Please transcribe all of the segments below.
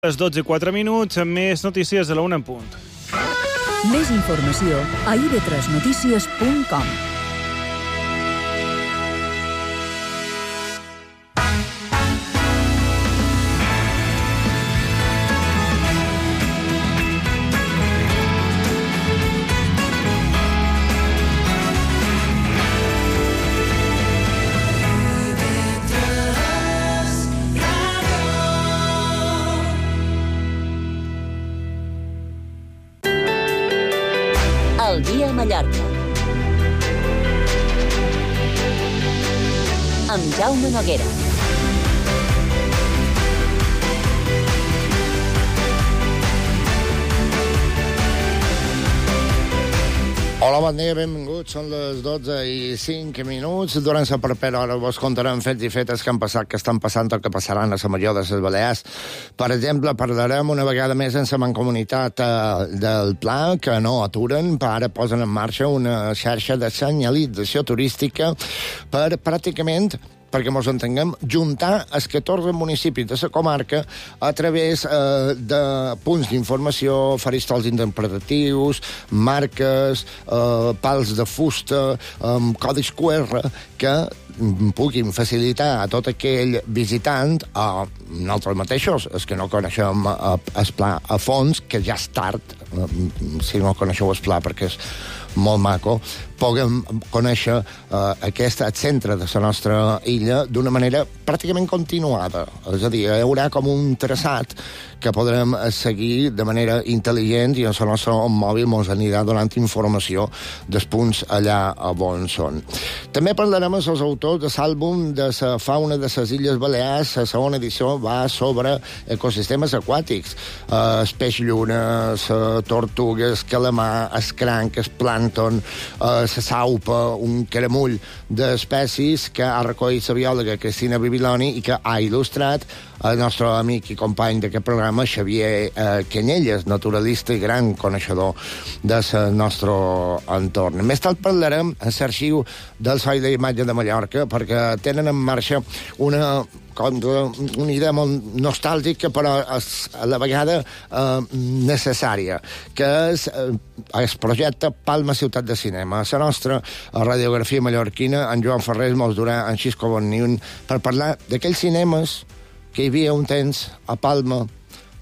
Les 12:04, més notícies a la 1 en punt. Més informació a ib3notícies.com. El dia a Mallorca. Amb Jaume Noguera. Hola, bon dia, benvinguts. Són les 12:05. Durant la propera hora vos contarem fets i fetes que han passat, que estan passant o que passaran a la major de les Balears. Per exemple, parlarem una vegada més en la mancomunitat del Pla, que no aturen, ara posen en marxa una xarxa de senyalització turística per pràcticament, perquè mos entenguem, juntar els 14 municipis de la comarca a través de punts d'informació, faristols interpretatius, marques, pals de fusta, codis QR, que puguin facilitar a tot aquell visitant, a nosaltres mateixos, els que no coneixem el Pla a fons, que ja és tard, si no coneixeu el Pla, perquè és molt maco, puguem conèixer aquest centre de la nostra illa d'una manera pràcticament continuada. És a dir, hi haurà com un traçat que podrem seguir de manera intel·ligent i en el nostre mòbil ens anirà donant informació dels punts allà on són. També parlarem amb els autors de l'àlbum de la fauna de les Illes Balears. La segona edició va sobre ecosistemes aquàtics. El peix lluna, les tortugues, calamar, el cranc, el plàncton, la saupa, un caramull d'espècies que ha recollit la biòloga Cristina Bibiloni i que ha il·lustrat el nostre amic i company d'aquest programa, Xavier Canyelles, naturalista i gran coneixedor del nostre entorn. Més tard parlarem en l'arxiu del Soi d'Imatge de Mallorca, perquè tenen en marxa una idea molt nostàlgica, però a la vegada necessària, que és el projecte Palma Ciutat de Cinema. A la nostra radiografia mallorquina, en Joan Ferrer mos durà en Xisco Bonniun per parlar d'aquells cinemes que hi havia un temps a Palma,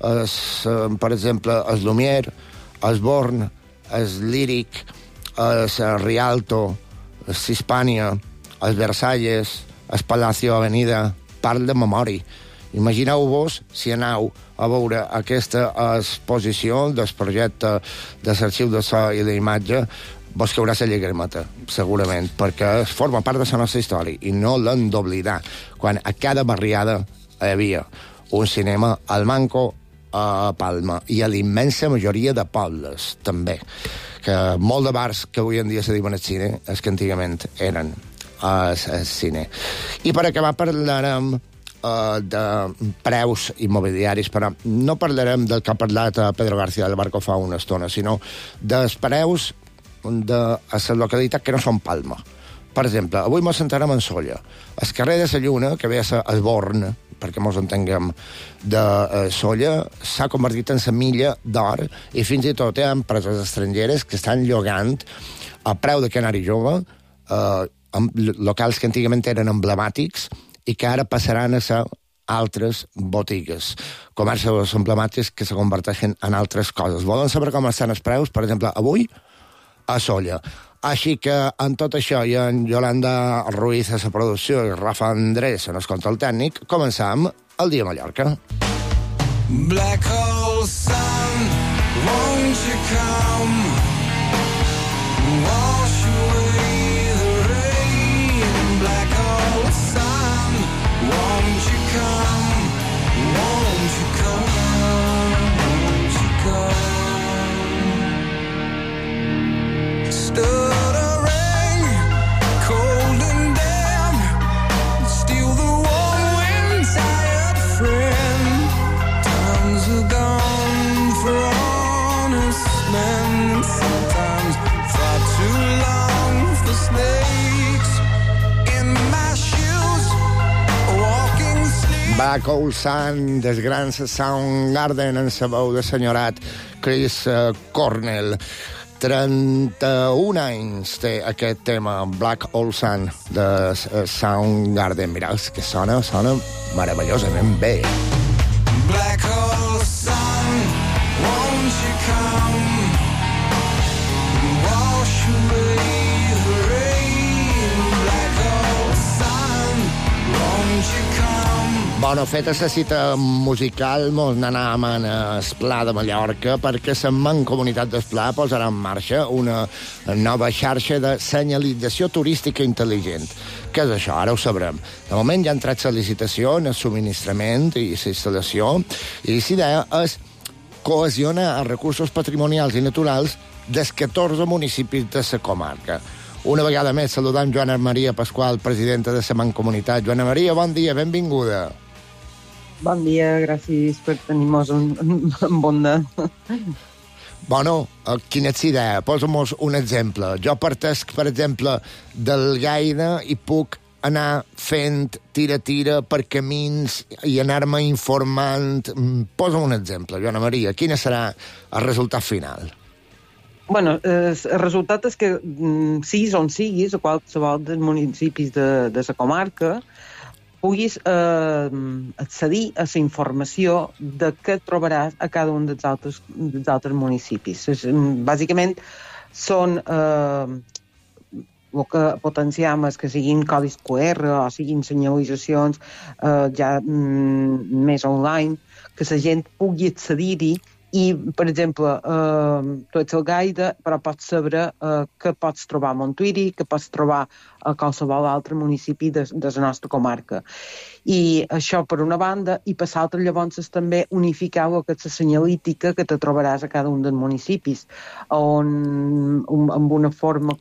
per exemple, el Lumière, el Born, el Líric, el Rialto, el Hispània, el Versalles, el Palacio Avenida. Parl de memòria. Imagineu-vos si aneu a veure aquesta exposició del projecte de l'arxiu de so i d'imatge, vos caurà la llagrimeta, segurament, perquè forma part de la nostra història i no l'hem d'oblidar. Quan a cada barriada hi havia un cinema al Manco a Palma i a l'immensa majoria de pobles, també. Que molt de bars que avui en dia se diuen el cine, és que antigament eren al cine. I per acabar parlarem de preus immobiliaris, però no parlarem del que ha parlat Pedro García del Barco fa una estona, sinó dels preus de la localitat que no són Palma. Per exemple, avui ens sentarem en Sóller. El carrer de la Lluna, que ve a ser el Born, perquè ens entenguem, de Sóller, s'ha convertit en la milla d'or i fins i tot hi ha empreses estrangeres que estan llogant a preu de canari jove locals que antigament eren emblemàtics i que ara passaran a ser altres botigues, comerços emblemàtics que se converteixen en altres coses. Volen saber com estan els preus? Per exemple, avui a Sóller. Així que, en tot això, i en Yolanda Ruiz a la producció i Rafa Andrés en el control tècnic, començam el dia a Mallorca. Black hole sun, won't you come? Wash away the rain. Black hole sun, won't you come? Won't you come? Won't you come? Stuttering, cold and damp, steal the warm wind, tired friend. Times are gone for honest men. Sometimes far too long for snakes in my shoes, walking sleep. Black Hole Sun, des grans Soundgarden, en la veu de senyorat Chris Cornell. 31 anys té aquest tema, Black Hole Sun, de Soundgarden. Mireu, que sona meravellosament bé. Black hole sun, won't you come wash away the rain? Black hole sun, won't you come? Bueno, feta la cita musical, mos n'anàvem a Esplà de Mallorca perquè la Mancomunitat d'Esplà posarà en marxa una nova xarxa de senyalització turística intel·ligent. Què és això? Ara ho sabrem. De moment ja ha entrat la licitació en el subministrament i la instal·lació, i la idea és cohesionar els recursos patrimonials i naturals dels 14 municipis de la comarca. Una vegada més saludam Joana Maria Pasqual, presidenta de la Mancomunitat. Joana Maria, bon dia, benvinguda. Bon dia, gràcies per tenir-nos en bona. Bueno, quina és idea? Posa'm-nos un exemple. Jo partesc, per exemple, del Gaida i puc anar fent tira-tira per camins i anar-me informant. Posa'm un exemple, Joana Maria. Quin serà el resultat final? Bueno, el resultat és que siguis on siguis, a qualsevol dels municipis de la comarca, puguis accedir a la informació de què trobaràs a cada un dels altres municipis. Bàsicament, són el que potenciam és que siguin codis QR o siguin senyalitzacions ja més online, que la gent pugui accedir-hi i, per exemple, tu ets el Gaida, però pots saber què pots trobar a Montuïri, què pots trobar a qualsevol altre municipi de la nostra comarca. I això per una banda, i per l'altra llavors és també unificar el que és la senyalítica que te trobaràs a cada un dels municipis, on amb una forma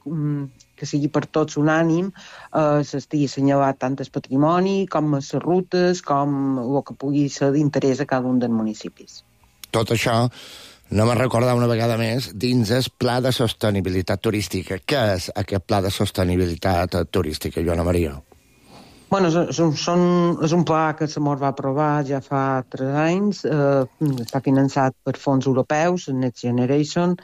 que sigui per tots unànim, s'estigui assenyalat tant el patrimoni com les rutes, com el que pugui ser d'interès a cada un dels municipis. Tot això, anem a recordar una vegada més, dins el Pla de Sostenibilitat Turística. Què és aquest Pla de Sostenibilitat Turística, Joana Maria? Bueno, és un pla que se mos va aprovar ja fa 3 anys, està finançat per fons europeus, Next Generation,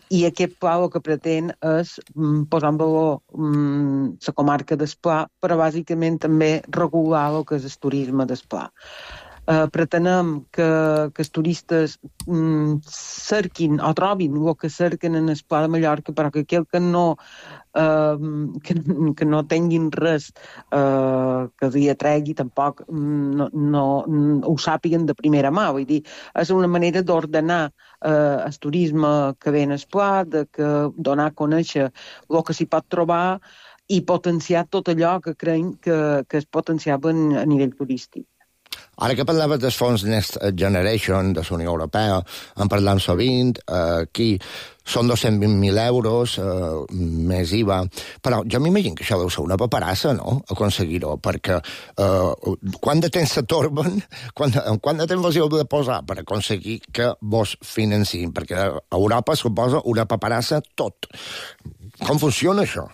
i aquest pla el que pretén és posar en valor la comarca d'Esplà, però bàsicament també regular el que és el turisme d'Esplà. Pretenem que els turistes cerquin o trobin el que cerquen en el Pla de Mallorca, però que aquell que no tinguin res que els hi atregui tampoc no ho sàpiguen de primera mà. Vull dir, és una manera d'ordenar el turisme que ve en el Pla, de donar a conèixer el que s'hi pot trobar i potenciar tot allò que creiem que es potenciava a nivell turístic. Ara que parlaves dels fons Next Generation de la Unió Europea, en parlam sovint, aquí són 220.000 euros, més IVA, però jo m'imagino que això deu ser una paperassa, no?, aconseguir-ho, perquè quant de temps s'atorben, quant de temps vos heu de posar per aconseguir que vos financin, perquè a Europa suposa una paperassa tot. Com funciona això?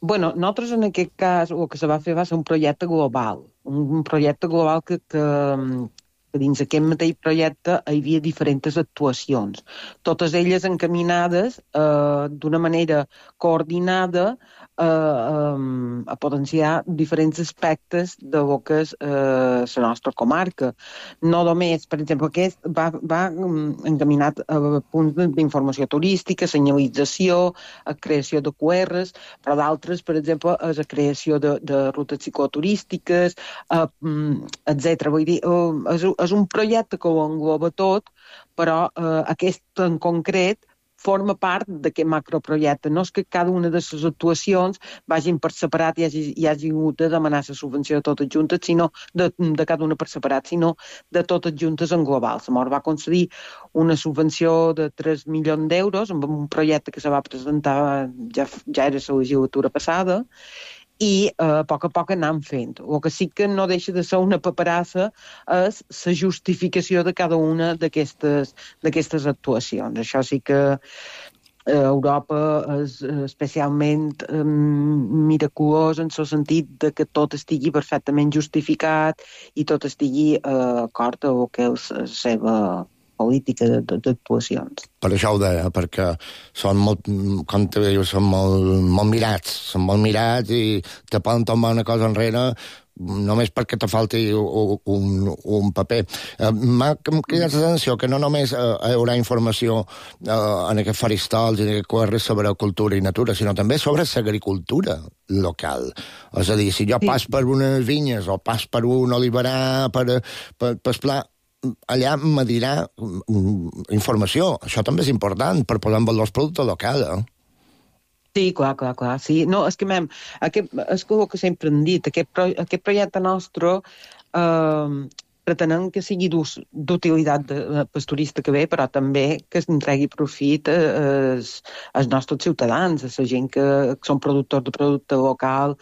Bueno, nosaltres en aquest cas el que se va fer va ser un projecte global, que dins aquest mateix projecte hi havia diferents actuacions, totes elles encaminades d'una manera coordinada a potenciar diferents aspectes de lo que és la nostra comarca. No només, per exemple, aquest va encaminat a punts d'informació turística, senyalització, a creació de QRs, però d'altres, per exemple, és a creació de rutes cicloturístiques, etc. Vull dir, és un projecte que ho engloba tot, però aquest en concret forma part d'aquest macroprojecte. No és que cada una de les actuacions vagin per separat i hagi hagut de demanar la subvenció de totes juntes, sinó de cada una per separat, sinó de totes juntes en global. Se mos va concedir una subvenció de 3 milions d'euros amb un projecte que se va presentar ja era la legislatura passada, i a poc anam fent. El que sí que no deixa de ser una paperassa és la justificació de cada una d'aquestes actuacions. Això sí que Europa és especialment miraculós en el sentit de que tot estigui perfectament justificat i tot estigui acord amb el que és la seva política d'actuacions. Per això ho deia, perquè són molt, com te dius, són molt mirats i te poden tombar una cosa enrere només perquè te falti un paper. M'ha cridat l'atenció que no només hi haurà informació en aquests faristols i en aquests quadres sobre cultura i natura, sinó també sobre l'agricultura local. És a dir, si jo pas per unes vinyes o pas per un oliverar, per pla, allà me dirà informació. Això també és important per posar en valor el producte local, Sí, clar, sí. No, és que, és el que sempre hem dit, aquest projecte nostre pretenem que sigui d'utilitat pel turista que ve, però també que entregui profit als nostres ciutadans, a la gent que són productors de producte local,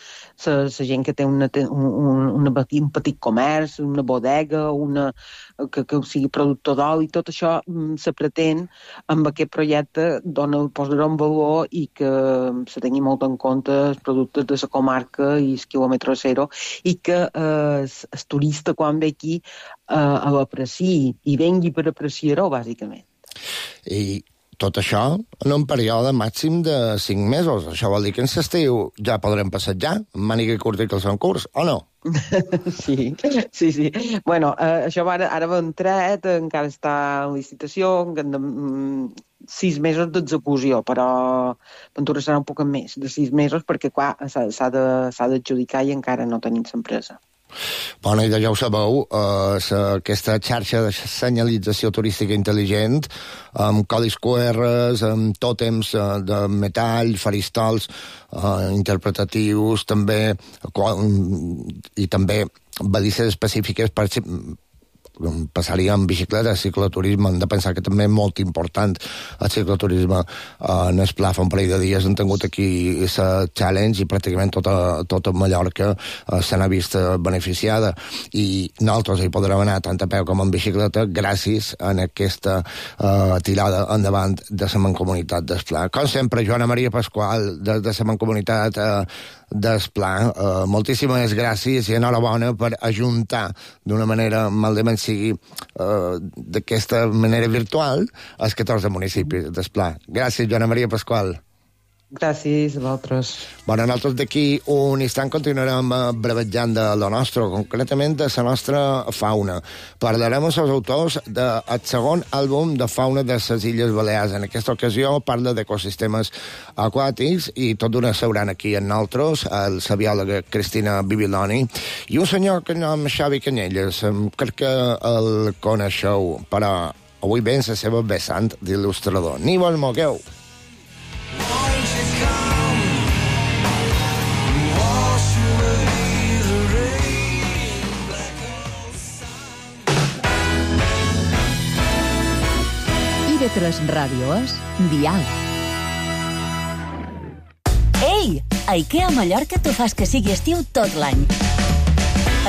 la gent que té un petit comerç, una bodega, que sigui productor d'oli, tot això se pretén amb aquest projecte posar en valor i que se tingui molt en compte els productes de la comarca i el quilòmetre zero i que el turista quan ve aquí l'apreciï i vengui per apreciar-ho, bàsicament. I tot això en un període màxim de 5 mesos. Això vol dir que en l'estiu ja podrem passejar, amb màniga curta i calçó en curs, o no? Sí. Bueno, això ara va entrat, encara està en licitació, 6 mesos d'execució, però Ventura serà un poc més de 6 mesos perquè, clar, s'ha d'adjudicar i encara no tenim l'empresa. Bueno, i ja ho sabeu, aquesta xarxa de senyalització turística intel·ligent, amb codis QRs, amb tòtems de metall, faristols interpretatius, també, i també balises específiques per passaria en bicicleta, cicloturisme. Hem de pensar que també és molt important el cicloturisme. En el pla fa un parell de dies hem tingut aquí la challenge i pràcticament tota Mallorca se n'ha vist beneficiada i nosaltres hi podrem anar tant a peu com en bicicleta gràcies a aquesta tirada endavant de la Mancomunitat del Pla. Com sempre, Joana Maria Pasqual, de la Mancomunitat del Pla, moltíssimes gràcies i enhorabona per ajuntar d'una manera, malament sigui d'aquesta manera virtual, els 14 municipis del Pla. Gràcies, Joana Maria Pasqual. Gràcies a vosaltres. Bueno, nosaltres d'aquí un instant continuarem brevejant de lo nostre, concretament de la nostra fauna. Parlarem amb els autors del segon àlbum de fauna de les Illes Balears. En aquesta ocasió parla d'ecosistemes aquàtics i tot d'una seuran aquí amb nosaltres, la biòloga Cristina Bibiloni i un senyor que nom Xavi Canyelles. Crec que el coneixeu, però avui ven la seva vessant d'il·lustrador. Ni vos mogueu. IB3 Ràdio és Dial. Ei! A IKEA Mallorca t'ho fas que sigui estiu tot l'any.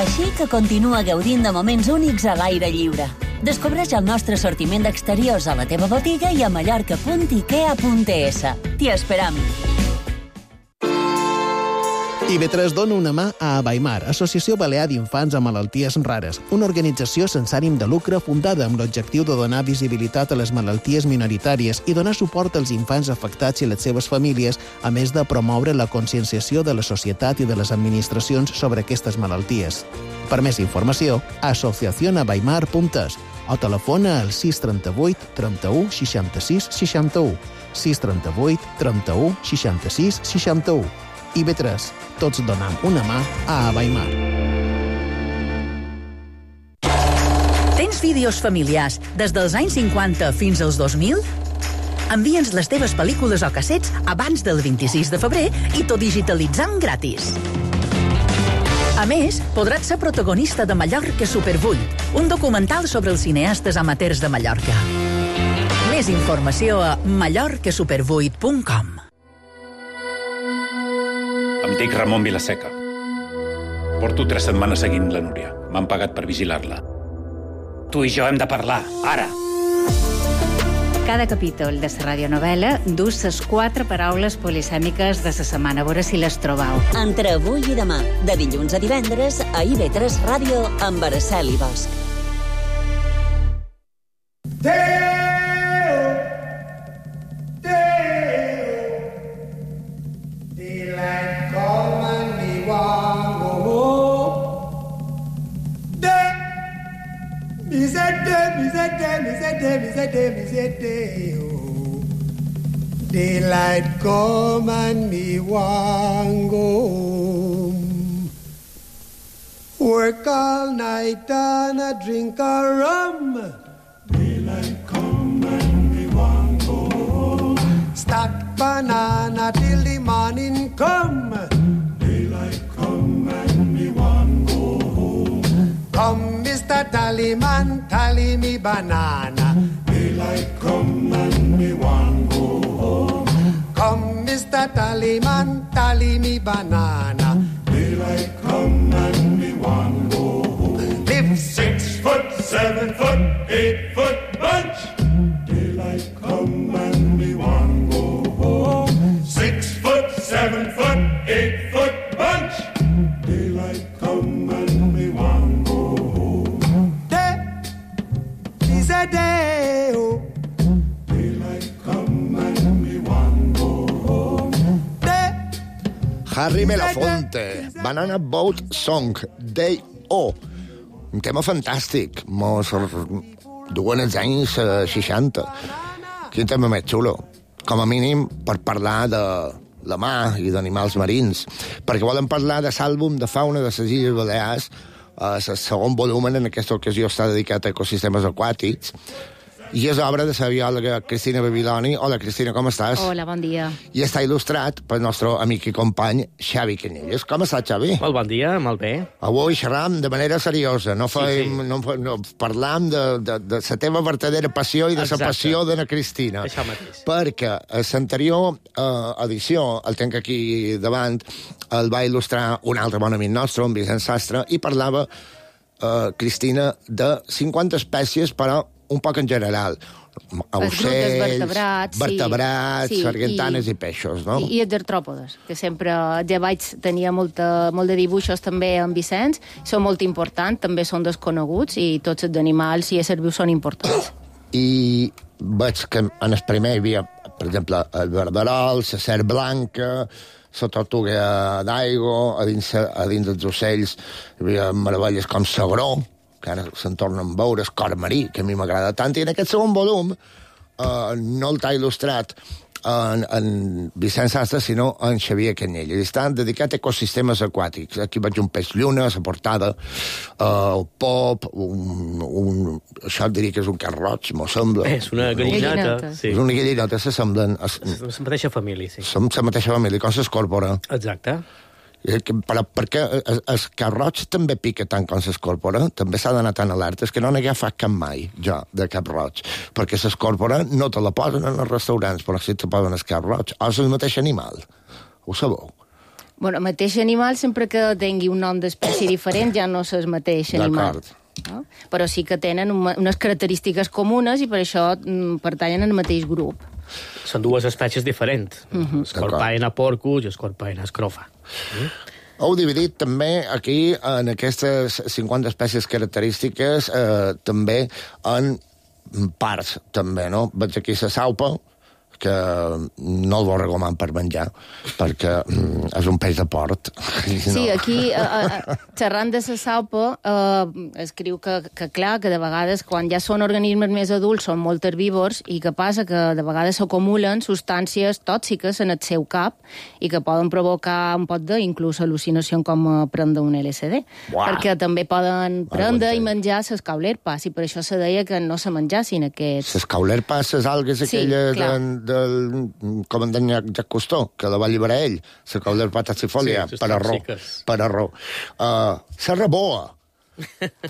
Així que continua gaudint de moments únics a l'aire lliure. Descobreix el nostre assortiment d'exteriors a la teva botiga i a mallorca.ikea.es. T'hi esperam. IB3 dona una mà a Abaimar, Associació Balear d'Infants amb Malalties Rares, una organització sense ànim de lucre fundada amb l'objectiu de donar visibilitat a les malalties minoritàries i donar suport als infants afectats i les seves famílies, a més de promoure la conscienciació de la societat i de les administracions sobre aquestes malalties. Per més informació, asociacionabaimar.es o telefona al 638 31 66 61, 638 31 66 61. IB3, tots donam una mà a Abaimar. Tens vídeos familiars des dels anys 50 fins als 2000? Envia'ns les teves pel·lícules o cassets abans del 26 de febrer i t'ho digitalitzam gratis. A més, podràs ser protagonista de Mallorca Super 8, un documental sobre els cineastes amateurs de Mallorca. Més informació a mallorcasuper8.com. Em dic Ramon Vilaseca. Porto 3 setmanes seguint la Núria. M'han pagat per vigilar-la. Tu i jo hem de parlar, ara. Cada capítol de la radionovela dus les 4 paraules polisèmiques de la setmana. A veure si les trobau. Entre avui i demà, de dilluns a divendres, a IB3 Ràdio, amb Araceli Bosch. Daylight come and me want go home. Work all night and a drink a rum. Daylight come and me want go home. Stack banana till the morning come. Daylight come and me want go home. Come, Mr. Tallyman, tally me banana. Daylight come and me want go home. Come, Mr. Tallyman, tally me banana. Daylight come and me want go home. Live 6 foot, 7 foot, 8 foot bunch. Daylight come and me want go home. 6 foot, 7 foot, 8 foot bunch. Daylight come and me want go home. Day is a day, oh. Daylight come and me want go home. Day. Harry Belafonte, Banana Boat Song, Day O. Un tema fantàstic, mos duen els anys 60. Quin tema més xulo. Com a mínim per parlar de la mar i d'animals marins. Perquè volen parlar de l'àlbum de fauna de les Illes Balears. El segon volum en aquesta ocasió està dedicat a ecosistemes aquàtics. I és obra de la biòloga Cristina Babiloni. Hola, Cristina, com estàs? Hola, bon dia. I està il·lustrat pel nostre amic i company Xavi Canyelles. Com estàs, Xavi? Molt bon dia, molt bé. Avui xerram de manera seriosa. No parlam de la teva vertadera passió i de la passió de la Cristina. Això mateix. Perquè a l'anterior edició, el tenc aquí davant, el va il·lustrar un altre bon amic nostre, en Vicent Sastre, i parlava, Cristina, de 50 espècies, però un poc en general. Ocells, vertebrats, sargantanes i peixos, no? I els artròpodes, que sempre ja vaig tenir molt de dibuixos també amb Vicenç, són molt importants, també són desconeguts i tots els animals i éssers vius són importants. I veig que en el primer hi havia, per exemple, el verderol, la serp blanca, la tortuga d'aigua, a dins dels ocells hi havia meravelles com l'agró, que ara se'n tornen a veure, el cor marí, que a mi m'agrada tant, i en aquest segon volum no el t'ha il·lustrat en Vicent Sastre, sinó en Xavier Canyelles. I estan dedicat a ecosistemes aquàtics. Aquí veig un peix lluna, a la portada, el pop, això et diria que és un carn roig, m'ho sembla. És una gallinota. Sí. És una gallinota, s'assemblen. La mateixa família, sí. Som la mateixa família, com s'escorpora. Exacte. Però perquè el carn roig també pica tant com s'escorpora, també s'ha d'anar tan alerta, és que no n'he agafat cap mai, jo, de cap roig, perquè s'escorpora no te la posen en els restaurants, però sí te posen el carn roig, o és el mateix animal, ho sabeu? Bueno, el mateix animal, sempre que tingui un nom d'espècie diferent, ja no és el mateix animal. No? Però sí que tenen unes característiques comunes i per això pertanyen al mateix grup. Són dues espècies diferents. Scorpaena porcus i Scorpaena scrofa. Heu dividit també aquí, en aquestes 50 espècies característiques, també en parts, també, no? Veig aquí la saupa, que no el recomanar per menjar, perquè és un peix de port. Sí, aquí, xerrant de la saupa, escriu que clar, que de vegades, quan ja són organismes més adults, són molt herbívors, i que passa que de vegades s'acumulen substàncies tòxiques en el seu cap i que poden provocar un pot inclús al·lucinació com prendre un LSD. Perquè també poden prendre i menjar les caulerpas, i per això se deia que no se menjassin aquests... Les caulerpas, les algues aquelles com en deien Jacques Cousteau, que la va alliberar ell, la caulerpa taxifolia, per arró. La reboa.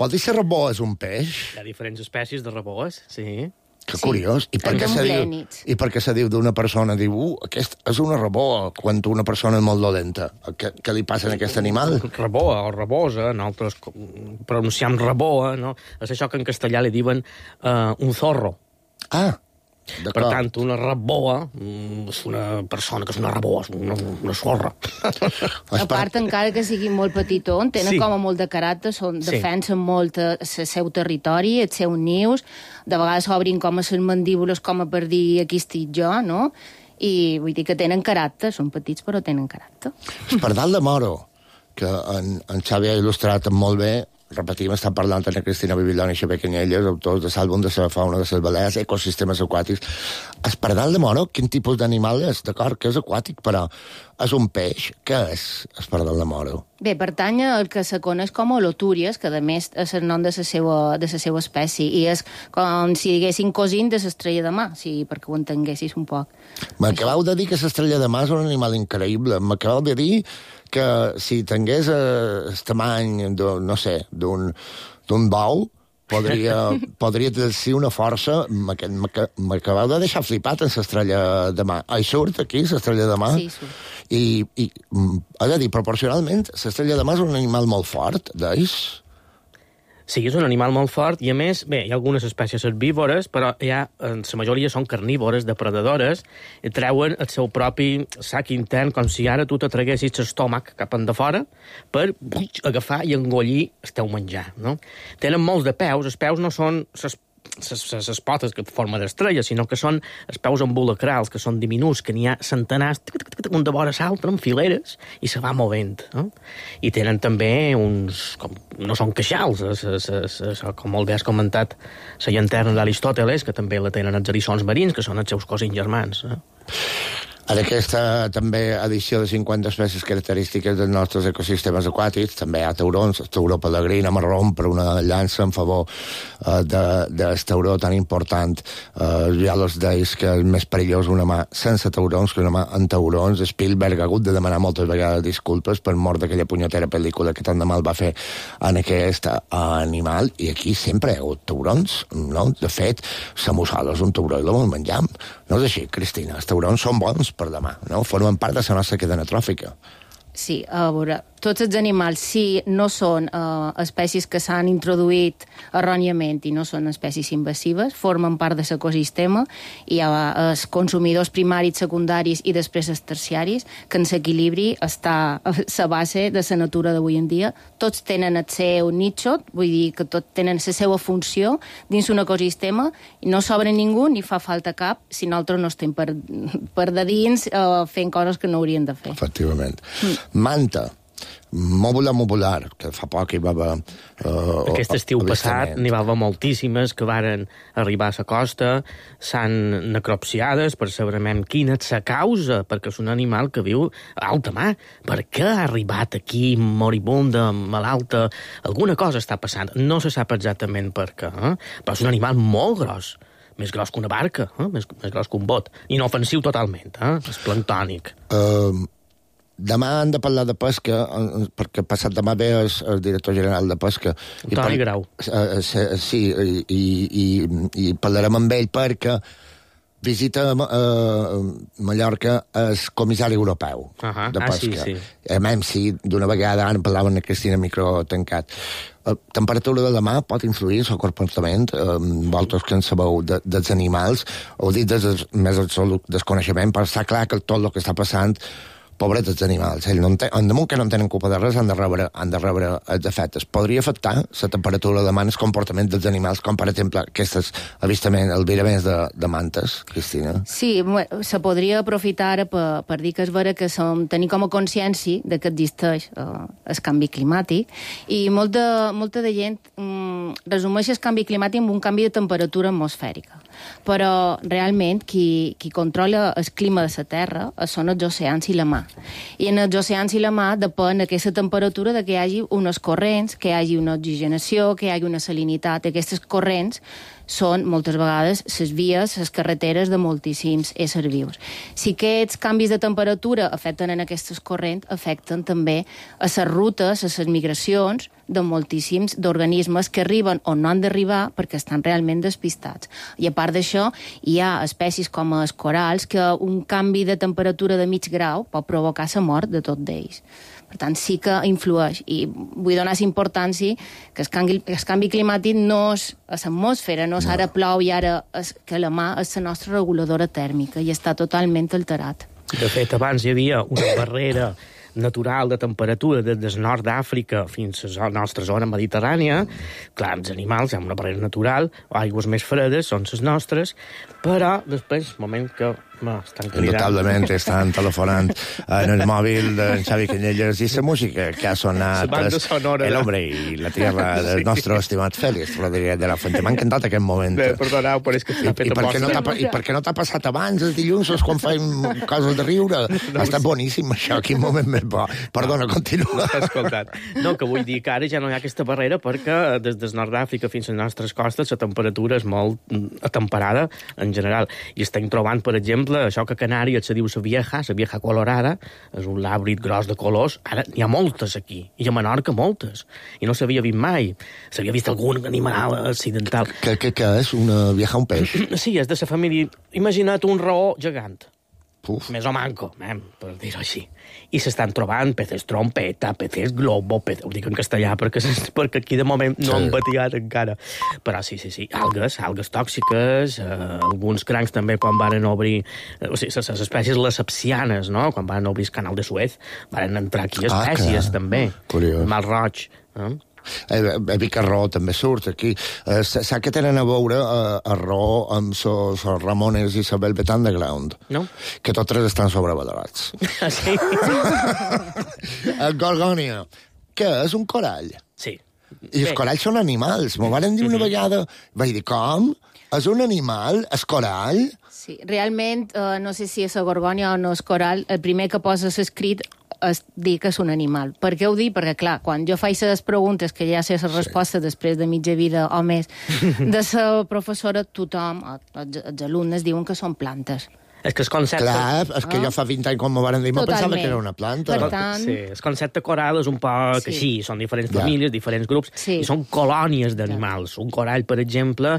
Vol dir que la reboa és un peix? Hi ha diferents espècies de reboes, sí. Que curiós. I per què se diu d'una persona? Diu, aquest és una reboa, quan una persona és molt dolenta. Què li passa a aquest animal? Reboa o rebosa, nosaltres pronunciam reboa, no? És això que en castellà li diuen un zorro. Ah, Per tant, una raboa és una persona que és una raboa, és una sorra. A part, encara que siguin molt petitons, tenen com a molt de caràcter, defensen molt el seu territori, els seus nius, de vegades obrin com a les mandíbules com a per dir aquí estic jo, no? I vull dir que tenen caràcter, són petits però tenen caràcter. El pardal de moro, que en Xavi ha il·lustrat molt bé, repetim, està parlant amb Cristina Bibiloni i Xavier Canyelles, autors de l'àlbum de la fauna de les Balears, ecosistemes aquàtics. El pardal de moro, quin tipus d'animal és? D'acord, que és aquàtic, però és un peix. Què és el pardal de moro? Bé, pertany al que se coneix com a holotúries, que a més és el nom de la seva espècie, i és com si diguéssim cosint de l'estrella de mar, perquè ho entenguessis un poc. M'acabeu de dir que l'estrella de mar és un animal increïble. M'acabeu de dir que si tingués el tamany, no sé, d'un bou, podria exercir una força. M'acabeu de deixar flipat en l'estrella de mar. Hi surt aquí, l'estrella de mar? Sí, surt. I és a dir, proporcionalment, l'estrella de mar és un animal molt fort, d'ells? Sí, és un animal molt fort i, a més, bé, hi ha algunes espècies herbívores, però la majoria són carnívores, depredadores, i treuen el seu propi sac intern, com si ara tu te traguessis l'estómac cap endafora per agafar i engollir el teu menjar, no? Tenen molts de peus, els peus no són les potes que forma d'estrella, sinó que són els peus ambulacrals, que són diminuts, que n'hi ha centenars, un de vora l'altre, en fileres, i se va movent. No? I tenen també uns... no són queixals, com molt bé has comentat, la llanterna d'Aristòteles, que també la tenen els eriçons marins, que són els seus cosins germans. En aquesta també edició de 50 espècies característiques dels nostres ecosistemes aquàtics també hi ha taurons, el tauró pelegrí, anem a rompre una llança en favor del tauró tan important. Ja els deis que és més perillós una mà sense taurons que una mà amb taurons. Spielberg ha hagut de demanar moltes vegades disculpes per mort d'aquella punyetera pel·lícula que tant de mal va fer en aquest animal, i aquí sempre hi ha hagut taurons, no? De fet, la mussol és un tauró i la vol menjar. No és així, Cristina, els taurons són bons per demà, no? Formen part de la nostra cadena tròfica. Sí, a veure, tots els animals, si no són espècies que s'han introduït erròniament i no són espècies invasives, formen part de l'ecosistema, i hi ha els consumidors primaris, secundaris i després els terciaris, que en l'equilibri està a la base de la natura d'avui en dia. Tots tenen el seu nicho, vull dir que tots tenen la seva funció dins un ecosistema, i no sobra ningú ni fa falta cap si nosaltres no estem per de dins fent coses que no hauríem de fer. Efectivament. Manta, mobular, que fa poc hi va haver... Aquest estiu passat n'hi va haver moltíssimes que varen arribar a la costa, s'han necropsiades per saber quina és la causa, perquè és un animal que viu a alta mar. Per què ha arribat aquí moribunda, malalta? Alguna cosa està passant. No se sap exactament per què, però és un animal molt gros. Més gros que una barca, més gros que un bot. Inofensiu totalment, és planctònic. Demà han de parlar de pesca, perquè passat demà ve el director general de pesca. Antoni Grau. Sí, i parlarem amb ell perquè visita Mallorca el comissari europeu de pesca. Sí, d'una vegada ara parlaven a Cristina micro tancat. Temperatura de la mà pot influir en el comportament, vosaltres que en sabeu dels animals, ho dit des del més absolut desconeixement, però està clar que tot el que està passant, pobrets els animals, ells en damunt que no tenen culpa de res han de rebre els efectes. Podria afectar la temperatura de mà, el comportament dels animals, com per exemple aquests albiraments de mantes, Cristina? Sí, se podria aprofitar ara per dir que és vera que tenim com a consciència de que existeix el canvi climàtic, i molta de gent resumeix el canvi climàtic amb un canvi de temperatura atmosfèrica. Però realment qui controla el clima de la Terra són els oceans i la mar. I en els oceans i la mar depèn aquesta temperatura de que hi hagi unes corrents, que hi hagi una oxigenació, que hi hagi una salinitat. Aquestes corrents són moltes vegades les vies, les carreteres de moltíssims éssers vius. Si aquests canvis de temperatura afecten en aquestes corrents, afecten també a les rutes, a les migracions de moltíssims d'organismes que arriben on no han d'arribar perquè estan realment despistats. I a part d'això, hi ha espècies com els corals que un canvi de temperatura de mig grau pot provocar la mort de tot d'ells. Per tant, sí que influeix. I vull donar importància que el canvi climàtic no és a l'atmosfera, no és ara plou i ara que la mà és la nostra reguladora tèrmica i està totalment alterat. De fet, abans hi havia una barrera natural de temperatura des del nord d'Àfrica fins a la nostra zona mediterrània. Clar, els animals, hi ha una barrera natural, aigües més fredes són les nostres, però després, moment que estan cridant. Indubtablement estan telefonant en el mòbil d'en Xavi Canyelles i la música que ha sonat El hombre i la tierra del nostre estimat Félix Rodríguez de la Fuente. M'ha encantat aquest moment. Bé, perdoneu, però és que està fet a posta. I per què no t'ha passat abans, els dilluns, quan fem coses de riure? Ha estat boníssim, això, quin moment més bo. Perdona, continua. No t'he escoltat. No, que vull dir que ara ja no hi ha aquesta barrera perquè des del nord d'Àfrica fins a les nostres costes la temperatura és molt atemperada en general. I estem trobant, per exemple, això que a Canàries se diu la vieja colorada, és un làbrid gros de colors, ara n'hi ha moltes aquí, i a Menorca moltes, i no s'havia vist mai. S'havia vist algun animal accidental. Què és? Una vieja, un peix? Sí, és de la família... Imagina't un raó gegant. Més o manco, per dir-ho així. I s'estan trobant peces trompeta, peces globo, ho dic en castellà perquè aquí de moment no han batiat encara. Però sí, algues tòxiques, alguns crancs també quan van obrir, o sigui, les espècies les sepsianes, no? Quan van obrir el canal de Suez, van entrar aquí espècies també. Curiós. Mal roig, no? He vist que Raó també surt aquí. Sap que tenen a veure a Raó amb els Ramones i la Velvet Underground? No. Que tots tres estan sobrevalorats. Sí. Gorgònia, què és un corall? Sí. I els coralls són animals. M'ho van dir una vegada. Vaig dir, com? És un animal? És corall? Sí, realment, no sé si és a Gorgònia o no és corall, el primer que poses escrit és dir que és un animal. Per què ho dic? Perquè, clar, quan jo faig les preguntes, que ja sé la resposta després de mitja vida o més, de la professora, tothom, els alumnes, diuen que són plantes. És que el concepte... Clar, és que jo fa 20 anys, quan m'ho van dir, me pensava que era una planta. Per tant... Sí, el concepte coral és un poc així, són diferents famílies, diferents grups, i són colònies d'animals. Un corall, per exemple,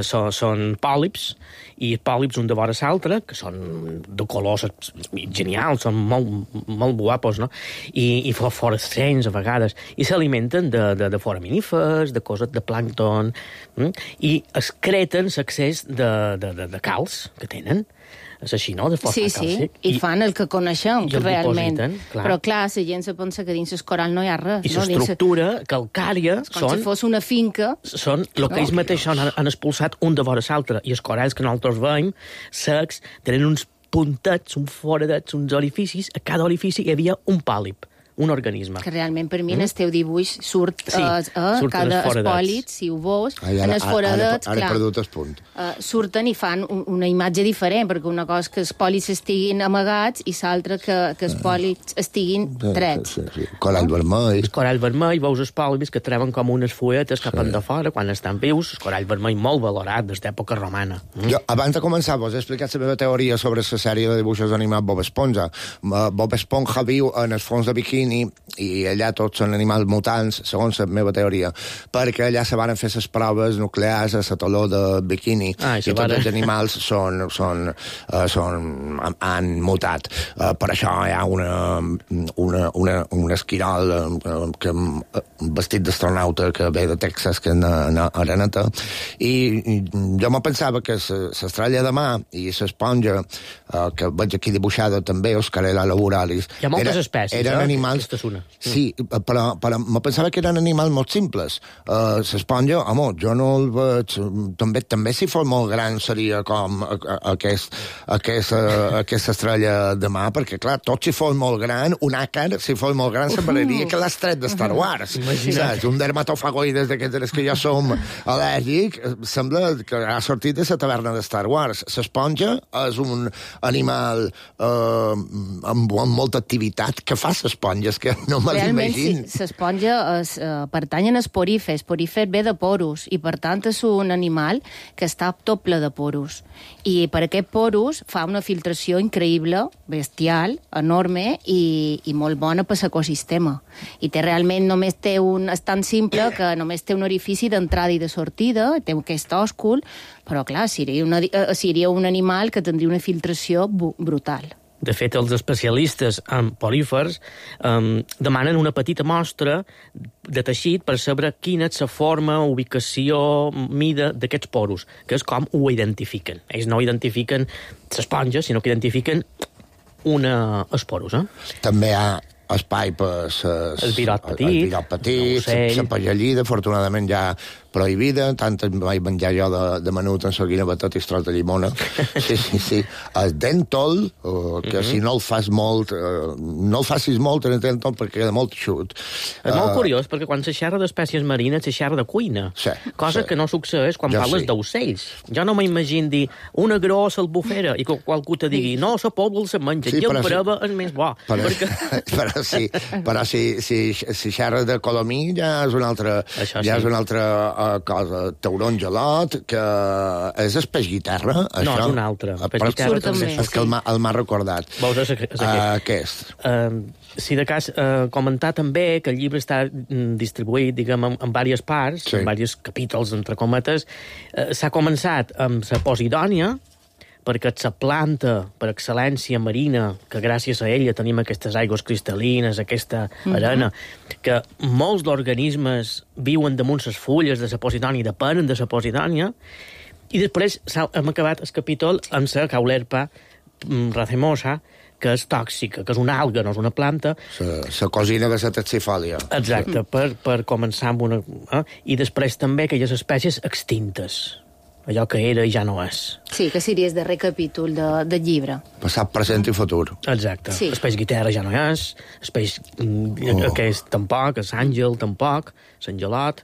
són pòlips, i pòlips un de vora l'altre, que són de colors genials, són molt guapos, no? I fluorescents, a vegades, i s'alimenten de foraminífers, de coses de plàncton, i excreten l'excés de calç que tenen. És així, no? Sí, i fan el que coneixem, realment. Però, clar, la gent se pensa que dins el coral no hi ha res. I l'estructura calcària com si fos una finca. Són el que ells mateixos han expulsat un de vora l'altre. I els coralls que nosaltres veiem, secs, tenen uns puntets, uns foradets, uns orificis. A cada orifici hi havia un pòlip, un organisme. Que realment, per mi, en el teu dibuix surt cada espòlit, si ho veus, en els foradets, ara he perdut el punt. Surten i fan una imatge diferent, perquè una cosa que els pòlits estiguin amagats i l'altra que els pòlits estiguin drets. Corall vermell. El corall vermell, veus els pòlips que treuen com unes fulletes cap de fora quan estan vius. El corall vermell molt valorat des d'època romana. Jo, abans de començar, vos he explicat la meva teoria sobre la sèrie de dibuixos animats Bob Esponja. Bob Esponja viu en el fons de bikini i allà tots són animals mutants, segons la meva teoria, perquè allà se van fer les proves nuclears a la taló de bikini i tots els animals han mutat. Per això hi ha un esquirol vestit d'astronauta que ve de Texas, que és una areneta, i jo me pensava que l'estrella de mar i l'esponja, que veig aquí dibuixada també, Oscarella laboralis, hi ha moltes espècies, eren animals... Sí, però me pensava que eren animals molt simples. L'esponja, home, jo no el veig... També si fos molt gran seria com aquesta estrella de mar, perquè, clar, tot si fos molt gran, un àcar, si fos molt gran, semblaria que l'has tret de Star Wars. Saps? Un dermatofagoides d'aquests que ja som al·lèrgic, sembla que ha sortit de la taverna de Star Wars. L'esponja és un animal amb molta activitat. Què fa l'esponja? És que no me l'imagino. Realment, l'esponja pertany a esporífer. Esporífer ve de porus, i per tant és un animal que està tot ple de porus. I per aquest porus fa una filtració increïble, bestial, enorme i molt bona per l'ecosistema. I realment només té és tan simple que només té un orifici d'entrada i de sortida, té aquest òscul, però clar, seria un animal que tindria una filtració brutal. De fet, els especialistes en porífers demanen una petita mostra de teixit per saber quina és la forma, ubicació, mida d'aquests poros, que és com ho identifiquen. Ells no identifiquen l'esponja, sinó que identifiquen els poros. També hi ha espai per el virot petit, la pallallida, afortunadament ja prohibida, tant vaig menjar jo de menut en seguina batot i tros de llimona. Sí. El dèntol, que si no el fas molt, no el facis molt en el dèntol perquè queda molt xut. És molt curiós, perquè quan se xerra d'espècies marines se xerra de cuina, cosa que no succeeix quan parles d'ocells. Jo no m'imagino dir una grossa albufera i que qualcú te digui no, la pobla se menja, i el breva és més bo. Però si xerra de colomí ja és una altra cosa. Tauron gelot, que és el peix guitarra, això? No, és un altre. És que el m'ha recordat. Veus, què és? Si de cas, comentar també que el llibre està distribuït, diguem, en diverses parts, en diversos capítols, entre cometes. S'ha començat amb la Posidònia, perquè és la planta per excel·lència marina, que gràcies a ella tenim aquestes aigües cristal·lines, aquesta arena, que molts d'organismes viuen damunt les fulles de la Posidònia i depenen de la Posidònia, i després hem acabat el capítol amb la Caulerpa racemosa, que és tòxica, que és una alga, no és una planta. La cosina de la taxifòlia. Exacte, per començar amb una... I després també aquelles espècies extintes, allò que era i ja no és. Sí, que seria el darrer capítol del llibre. Passat, present i futur. Exacte. Sí. El peix guitarra ja no és, el peix aquest tampoc, l'àngel tampoc, l'angelot.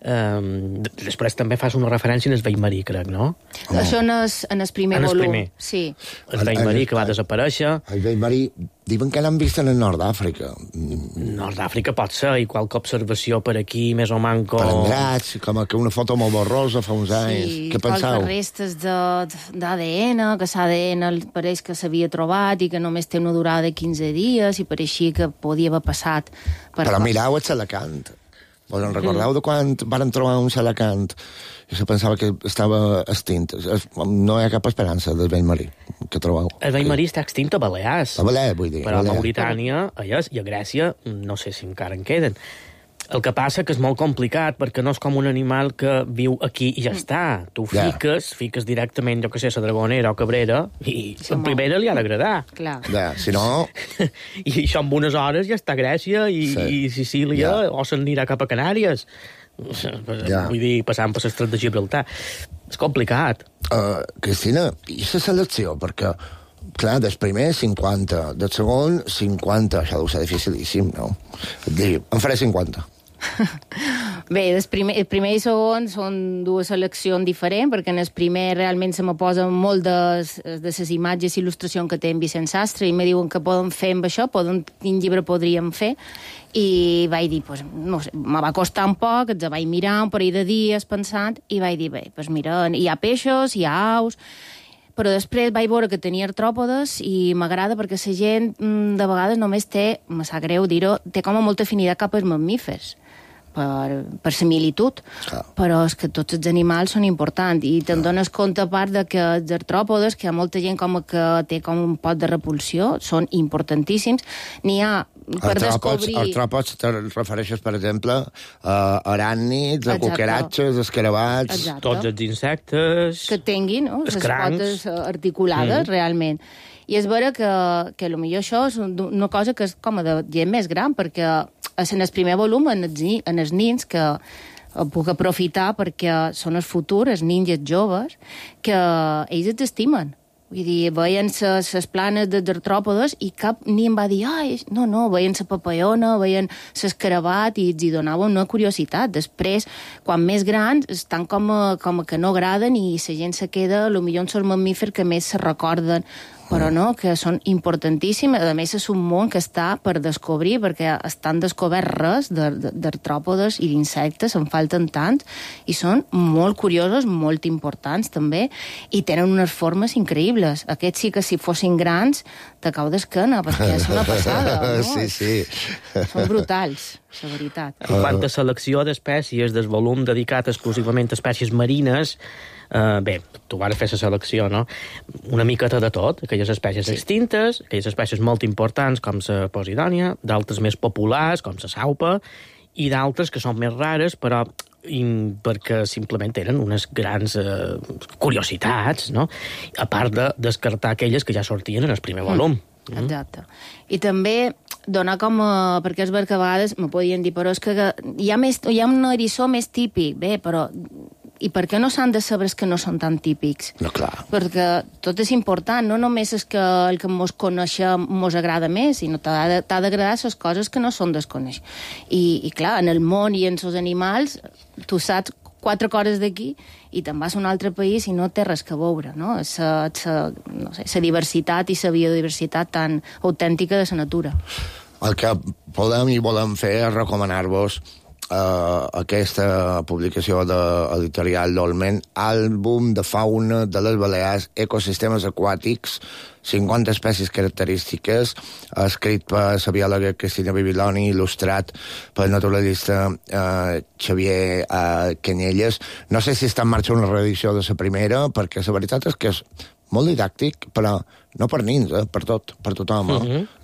Després també fas una referència en el vell-marí, crec, no? Això en el primer volum. Sí. El vell-marí que va desaparèixer. El vell-marí, diuen que l'han vist en el nord d'Àfrica. Nord d'Àfrica pot ser, i qualque observació per aquí, més o manco... Prendrats, com que una foto molt borrosa fa uns anys. Sí, què penseu? qualque restes d'ADN, que l'ADN pareix que s'havia trobat i que només té una durada de 15 dies i pareixia que podia haver passat per... Però mirau el Salacant. Vos en recordeu de quan van trobar un Salacant i se pensava que estava extint? No hi ha cap esperança del vell-marí que trobeu. El vell-marí està extint a Balears. A Balears, vull dir. Però a Mauritània, allà, i a Grècia, no sé si encara en queden. El que passa que és molt complicat, perquè no és com un animal que viu aquí i ja està. Tu fiques directament, jo que sé, la dragonera o cabrera, i en primera li ha d'agradar. Clar. Si no... I això en unes hores ja està a Grècia i Sicília, o se'n anirà cap a Canàries. Vull dir, passant per l'estret de Gibraltar. És complicat. Cristina, i la selecció? Perquè, clar, del primer 50, del segon 50, això deu ser dificilíssim, no? En faré 50. Bé, el primer i segon són dues seleccions diferents, perquè en el primer realment se me posen molt de les imatges i il·lustracions que té en Vicent Sastre, i me diuen que poden fer amb això, quin llibre podríem fer, i vaig dir, pues, no sé, me va costar un poc, els vaig mirar un parell de dies pensant, i vaig dir, bé, pues mira, hi ha peixos, hi ha aus, però després vaig veure que tenia artròpodes i m'agrada perquè la gent de vegades només té, me sap greu dir-ho, té com a molta afinitat cap als mamífers, per similitud, però és que tots els animals són importants i te'n dones compte a part de que els artròpodes, que hi ha molta gent com que té com un pot de repulsió, són importantíssims. N'hi ha per descobrir... Artròpods te refereixes, per exemple, a aràcnids, a cucaratges, escarabats... Tots els insectes... Que tinguin, no? Les potes articulades, realment. I és vera que potser això és una cosa que és com de gent més gran, perquè en el primer volum, en els nins, que puc aprofitar perquè són el futur, els nins i els joves, que ells els estimen. Vull dir, veien les planes dels artròpodes i cap ni em va dir, no, veien la papallona, veien l'escarabat i els hi donava una curiositat. Després, quan més grans, estan com que no agraden i la gent se queda, potser són els mamífers que més se recorden, però no, que són importantíssims. A més, és un món que està per descobrir, perquè estan descobert res d'artròpodes i d'insectes, en falten tants, i són molt curiosos, molt importants també, i tenen unes formes increïbles. Aquests sí que si fossin grans, te cau d'esquena, perquè és una passada, no? Sí. Són brutals, la veritat. En quant a selecció d'espècies del volum dedicat exclusivament a espècies marines, Bé, tu vas fer la selecció, no? Una miqueta de tot, aquelles espècies extintes, aquelles espècies molt importants com la posidònia, d'altres més populars com la saupa, i d'altres que són més rares, però perquè simplement eren unes grans curiositats, no? A part de descartar aquelles que ja sortien en el primer volum. Exacte. I també donar com... perquè és ver que a vegades me podien dir, però és que hi ha un eriçó més típic, bé, però... I per què no s'han de saber els que no són tan típics? No, clar. Perquè tot és important, no només és que el que mos coneixem mos agrada més, sinó t'ha d'agradar les coses que no són desconeix. I clar, en el món i en els animals, tu saps 4 coses d'aquí i te'n vas a un altre país i no té res que veure, no? La diversitat i la biodiversitat tan autèntica de la natura. El que podem i volem fer és recomanar-vos aquesta publicació de l'editorial Dolmen, àlbum de fauna de les Balears, ecosistemes aquàtics, 50 espècies característiques, escrit per la biòloga Cristina Bibiloni, il·lustrat pel naturalista Xavier Canyelles. No sé si està en marxa una reedició de la primera, perquè la veritat és que és molt didàctic, però no per nins, per tothom.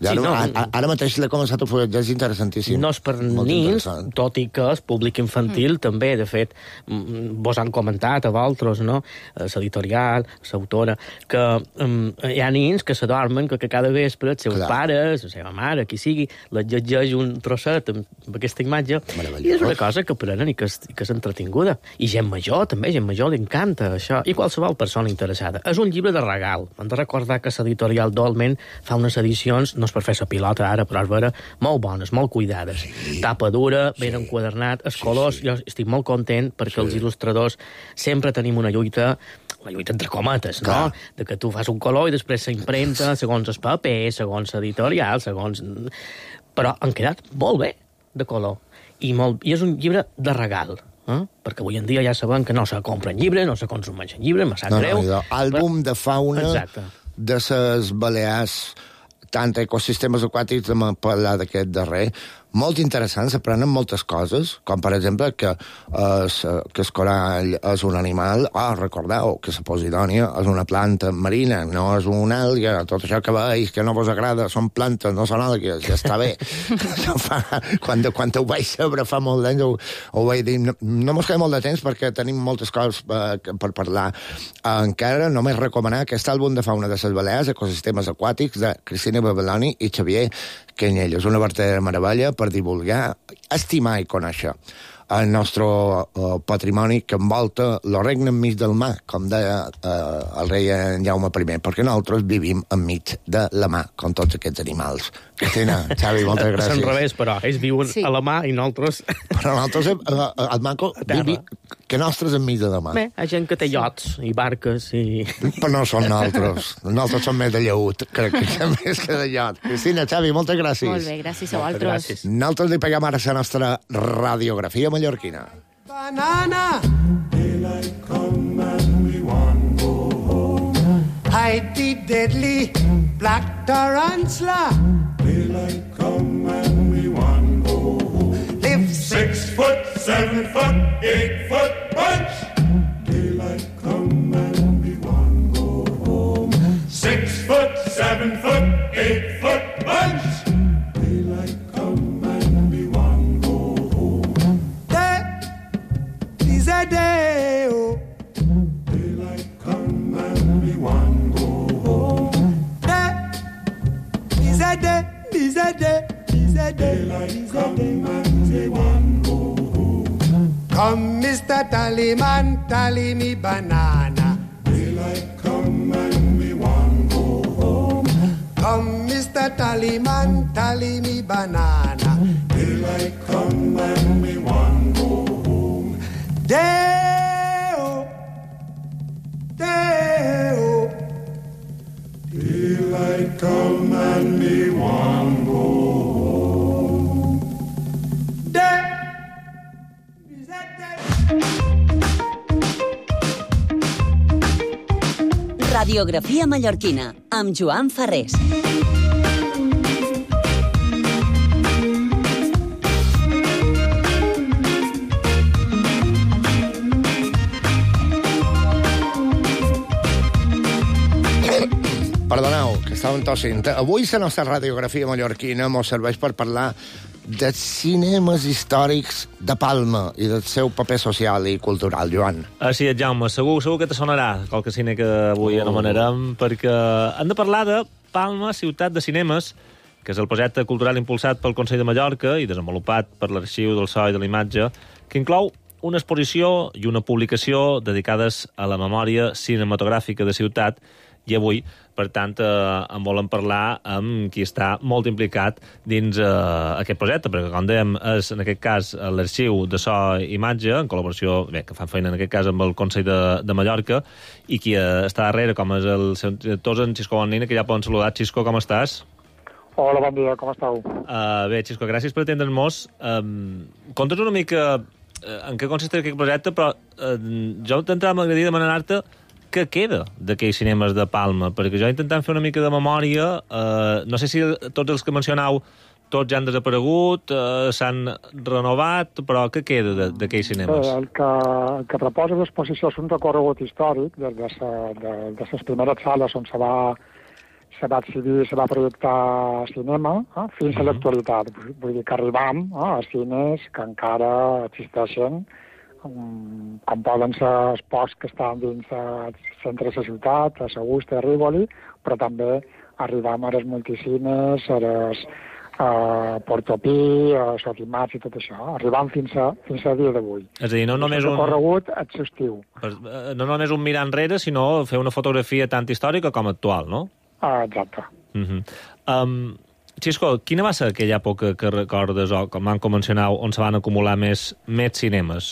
Ara mateix l'he començat a fulletjar, és interessantíssim. No és per nins, tot i que el públic infantil també, de fet, vos han comentat a vosaltres, no? L'editorial, l'autora, que hi ha nins que s'adormen, que cada vespre els seus pares, la seva mare, qui sigui, les llegeix un trosset amb aquesta imatge, i és una cosa que aprenen i que és entretinguda. I gent major, també, gent major li encanta això, i qualsevol persona interessada. És un llibre de regal. Hem de recordar que l'editorial Dolmen fa unes edicions, no és per fer la pilota ara, però és vera, molt bones, molt cuidades. Tapa dura, ben enquadernat, els colors, jo estic molt content perquè els il·lustradors sempre tenim una lluita entre cometes, no? De que tu fas un color i després s'impremta segons el paper, segons l'editorial, però han quedat molt bé de color. I és un llibre de regal. Perquè avui en dia ja sabem que no se compren llibres, no se consumeixen llibres, me sap greu. Àlbum de fauna de les Balears, tant ecosistemes aquàtics, hem parlat d'aquest darrer, molt interessant, s'aprenen moltes coses, com per exemple que el corall és un animal, recordeu que la posidònia és una planta marina, no és una àlga, tot això que veus que no vos agrada, són plantes, no són àlgues, ja està bé. Quan ho vaig saber fa molt d'anys ho vaig dir, no mos queda molt de temps perquè tenim moltes coses per parlar. Encara només recomanar aquest àlbum de fauna de les Balears, ecosistemes aquàtics, de Cristina Bibiloni i Xavier Canyelles, una verdadera meravella per divulgar, estimar i conèixer el nostre patrimoni que envolta el regne enmig del mar, com deia el rei Jaume I, perquè nosaltres vivim enmig de la mar, com tots aquests animals. Cristina, Xavi, moltes gràcies. És al revés, però ells viuen a la mar i nosaltres... Però nosaltres, el manco, que nostres enmig de la mar. Bé, hi ha gent que té iots i barques i... Però no són nosaltres. Nosaltres som més de lleut, crec que més que de iot. Cristina, Xavi, moltes gràcies. Molt bé, gràcies a vosaltres. Nosaltres li peguem ara la nostra radiografia mallorquina. Banana, daylight come and we want go home. Hide the deadly black tarantula. Daylight come and we want go home. Live 6 foot, 7 foot, 8 foot bunch. Daylight come and we want go home. 6 foot, 7 foot, 8 foot bunch. Daylight come and we want go home. Is a day, oh. Daylight come and we want go home. Is a day, is a day, is a day. Daylight come and we want go home. Come, Mr. Tallyman, tally me banana. Daylight come and we want go home. Come, Mr. Tallyman, tally me banana. Daylight come and we want go home. Day-o, day-o. Daylight come and me want go home. Day. Radiografia mallorquina, amb Joan Farrés. Perdoneu, que estàvem tossint. Avui la nostra radiografia mallorquina mos serveix per parlar de cinemes històrics de Palma i del seu paper social i cultural, Joan. Així és, Jaume. Segur que te sonarà qualque cine que avui anomenarem, perquè hem de parlar de Palma, ciutat de cinemes, que és el projecte cultural impulsat pel Consell de Mallorca i desenvolupat per l'Arxiu del So i de la Imatge, que inclou una exposició i una publicació dedicades a la memòria cinematogràfica de ciutat. I avui, per tant, en volem parlar amb qui està molt implicat dins aquest projecte, perquè, com dèiem, és, en aquest cas, l'Arxiu de So i Imatge, en col·laboració, que fan feina, en aquest cas, amb el Consell de Mallorca, i qui està darrere, com és el seu director, en Xisco Bonina, que ja poden saludar. Xisco, com estàs? Hola, bon dia, com esteu? Bé, Xisco, gràcies per atendre'ns. Conta'ns una mica en què consisteix aquest projecte, però jo d'entrada m'agradaria demanar-te què queda d'aquells cinemes de Palma, perquè jo intentant fer una mica de memòria, no sé si tots els que mencionau tots ja han desaparegut, s'han renovat, però què queda d'aquells cinemes? Bé, el que proposa l'exposició és un recorregut històric des de les primeres sales on se va decidir, se va projectar cinema, fins a l'actualitat. Vull dir que arribam a cines que encara existeixen, com poden ser els pocs que estan dins el centre de la ciutat, a Sagusta, a Rivoli, però també arribam a les multicines, a Portopí, a Sotimats i tot això. Arribam fins a dia d'avui. És a dir, no només un recorregut exhaustiu. No només un mirar enrere, sinó fer una fotografia tant històrica com actual, no? Exacte. Xisco, quina va ser aquella època que recordes, o com van mencionar, on se van acumular més cinemes?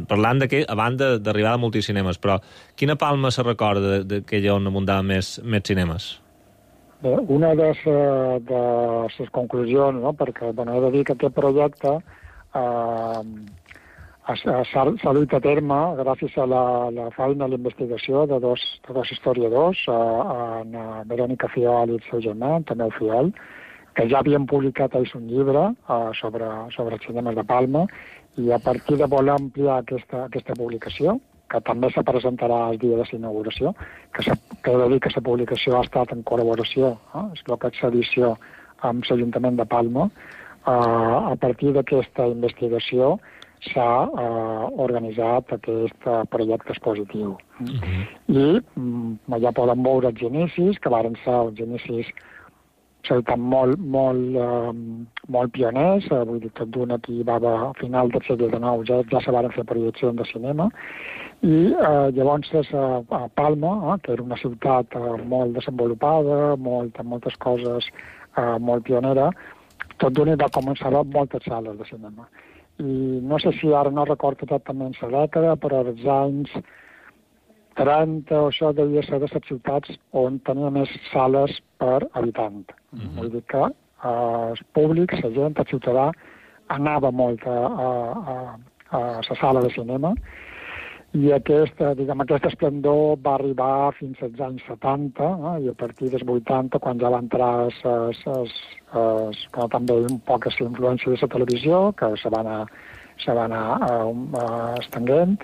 Parlant a banda d'arribar a multicinemes, però quina Palma se recorda d'aquella on abundaven més cinemes? Bé, una de les conclusions, no? Perquè he de dir que aquest projecte s'ha duit a terme gràcies a la feina i la investigació de dos historiadors, Verònica Fiol i el seu germà, també el Fiol, que ja havien publicat ells un llibre sobre els cinemes de Palma, i a partir de voler ampliar aquesta publicació, que també se presentarà el dia de l'inauguració, que he de dir que la publicació ha estat en col·laboració, és el que és l'edició amb l'Ajuntament de Palma. A partir d'aquesta investigació s'ha organitzat aquest projecte expositiu. I ja poden veure els inicis, que varen ser els inicis molt pioners, vull dir, tot d'un aquí va a final del segle XIX, ja se van fer projeccions de cinema, i llavors a Palma, que era una ciutat molt desenvolupada, amb moltes coses molt pionera, tot d'un va començar a moltes sales de cinema. I no sé si ara no recordo exactament la dècada, però als anys 30 o això devia ser de les ciutats on tenia més sales per habitant. Vull dir que els públics, la gent, el ciutadà, anava molt a la sala de cinema, i aquest esplendor va arribar fins als anys 70, i a partir dels 80, quan ja va entrar també un poc la influència de la televisió, que se va anar estenguent,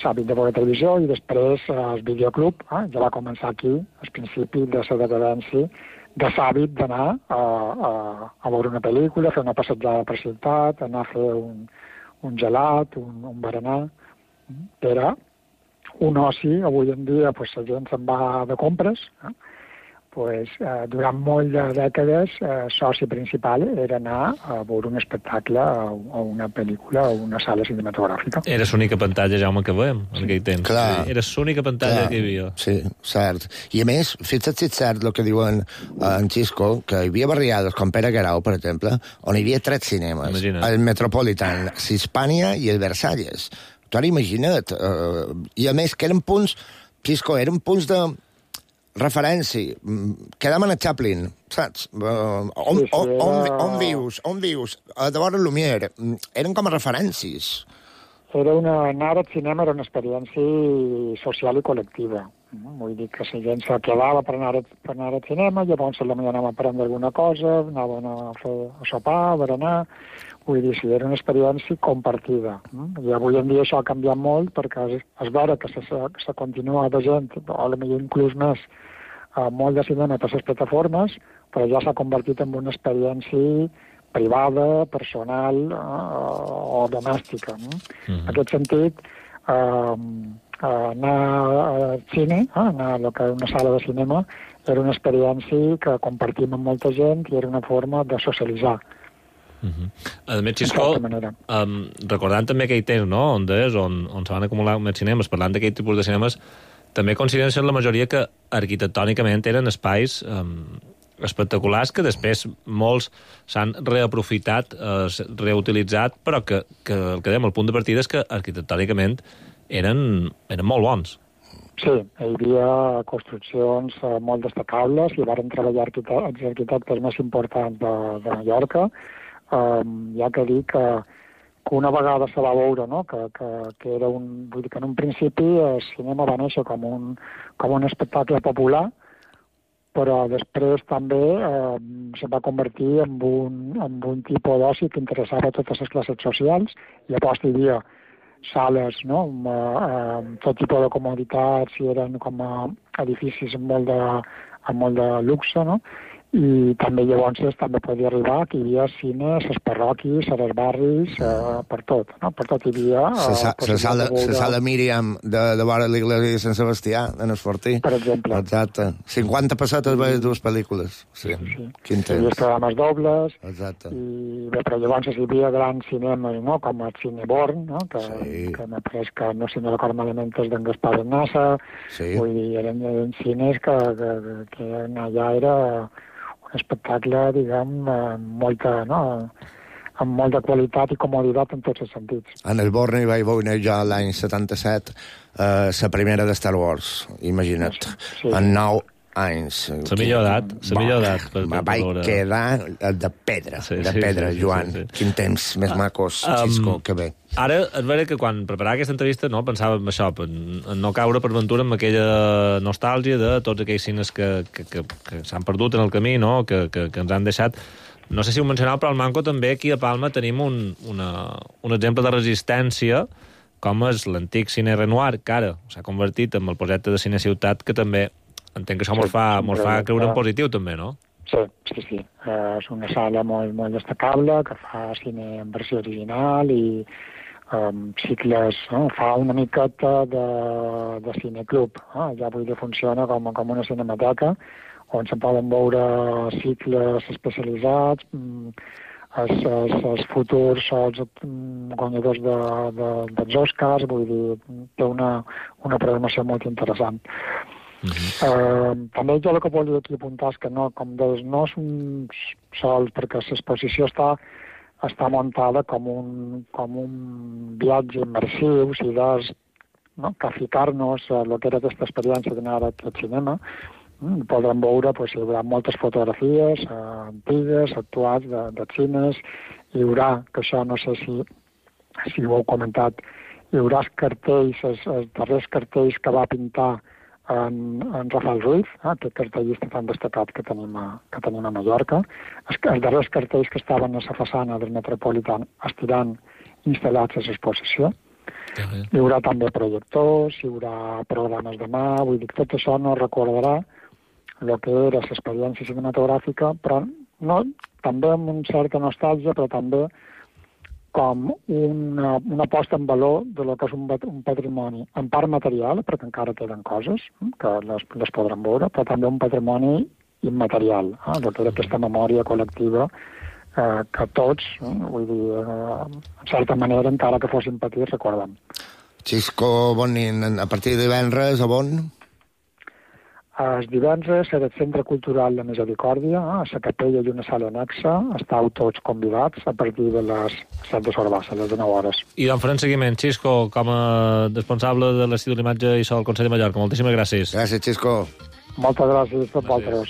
l'hàbit de veure televisió, i després el videoclub ja va començar aquí, al principi de la decadència, de l'hàbit d'anar a veure una pel·lícula, fer una passejada per ciutat, anar a fer un gelat, un berenar. Era un oci. Avui en dia la gent se'n va de compres. Durant molt de dècades, soci principal era anar a veure un espectacle o una pel·lícula o una sala cinematogràfica. Era l'única pantalla, Jaume, que veiem en aquell temps. Clar. Era l'única pantalla que hi havia. Sí, cert. I a més, fixa't si és cert el que diuen en Xisco, que hi havia barriades com Pere Guerau, per exemple, on hi havia 3 cinemes. Imagina't. El Metropolitan, l'Hispània i el Versalles. Tu ara imagina't. I a més, que eren punts, Xisco, eren punts de referència. Quedàvem a Chaplin, saps? On vius? A de vora Lumière. Eren com a referències. Anar al cinema era una experiència social i col·lectiva. Vull dir que la gent se quedava per anar al cinema, llavors potser anàvem a prendre alguna cosa, anàvem a sopar, a berenar. Vull dir, era una experiència compartida. I avui en dia això ha canviat molt, perquè és vera que se continua de gent, o potser inclús més, molt de cinema per les plataformes, però ja s'ha convertit en una experiència privada, personal o domèstica. No? En aquest sentit, anar al cine, anar a una sala de cinema, era una experiència que compartim amb molta gent i era una forma de socialitzar. A més, Xisco, recordant també aquell temps, no?, on se van acumular més cinemes, parlant d'aquell tipus de cinemes, també consideren ser la majoria que arquitectònicament eren espais espectaculars que després molts s'han reaprofitat, reutilitzat, però que el que dèiem, el punt de partida és que arquitectònicament eren molt bons. Sí, hi havia construccions molt destacables i van treballar els arquitectes més importants de Mallorca. Ja que dir que una vegada se va veure, no?, que era vull dir que en un principi el cinema va néixer com un espectacle popular, però després també se va convertir en un tipus d'oci que interessava a totes les classes socials, i llavors hi havia sales, no?, amb tot tipus de comoditats, i eren com edificis amb molt de luxe, no?, i també llavors també podia arribar que hi havia cines, les parròquies, els barris, per tot, no? Per tot hi havia... La sala Míriam de vora l'església de Sant Sebastià, en Esfortí. Per exemple. Exacte. 50 pessetes veus dues pel·lícules. Sí. Quin temps. Hi havia programes dobles. Exacte. Però llavors hi havia grans cinemes, no?, com el Cineborn, no?, que m'ha pres que, no sé si no recordo malament, és d'en Gaspar Nassa. Sí. Vull dir, eren cines que allà era un espectacle, diguem, amb molta qualitat i comoditat en tots els sentits. En el Born hi vaig veure jo l'any 77 la primera de Star Wars, imagina't, en 9 anys. La millor edat. Vaig quedar de pedra, Joan. Sí. Quin temps més macos, Xisco, que bé. Ara, és vera que quan preparava aquesta entrevista, no, pensava en això, en no caure per ventura amb aquella nostàlgia de tots aquells cines que s'han perdut en el camí, no?, que ens han deixat. No sé si ho mencionava, però al Manco també aquí a Palma tenim un exemple de resistència, com és l'antic Cine Renoir, que ara s'ha convertit en el projecte de Cine Ciutat, que també entenc que això ens fa creure en positiu, també, no? Sí. És una sala molt, molt destacable, que fa cine en versió original i cicles, no? Fa una miqueta de cineclub. Ja vull dir, funciona com una cinemateca, on se poden veure cicles especialitzats, els futurs els guanyadors dels Oscars, vull dir, té una programació molt interessant. També jo el que volia aquí apuntar és que no és un sol, perquè l'exposició està muntada com un viatge immersiu, o sigui, que ficar-nos a el que era aquesta experiència d'anar a aquest cinema. Podrem veure, hi haurà moltes fotografies antigues, actuals, de cines. Hi haurà, que això no sé si ho heu comentat, hi haurà els cartells, els darrers cartells que va pintar en Rafael Ruiz, aquest cartellista tan destacat que tenim a Mallorca. Els darrers cartells que estaven a la façana del Metropolitan estiran instal·lats a l'exposició. Hi haurà també projectors, hi haurà programes de mà, vull dir que tot això no recordarà el que era l'experiència cinematogràfica, però no, també amb una certa nostàlgia, però també com una posta en valor de lo que és un patrimoni, en part material, perquè encara queden coses que les podrem veure, però també un patrimoni immaterial, el que era aquesta memòria col·lectiva que tots, vull dir, en certa manera, encara que fossin petits, recordem. Xisco Bonin, a partir de divendres, a on? Els divendres serà el Centre Cultural de Misericòrdia, a la capella i una sala anexa. Estàu tots convidats a partir de les 7 de Sorbassa, a les 9 hores. I d'on farem seguiment, Xisco, com a responsable de l'Institut de l'Imatge i so del Consell de Mallorca. Moltíssimes gràcies. Gràcies, Xisco. Moltes gràcies a vosaltres.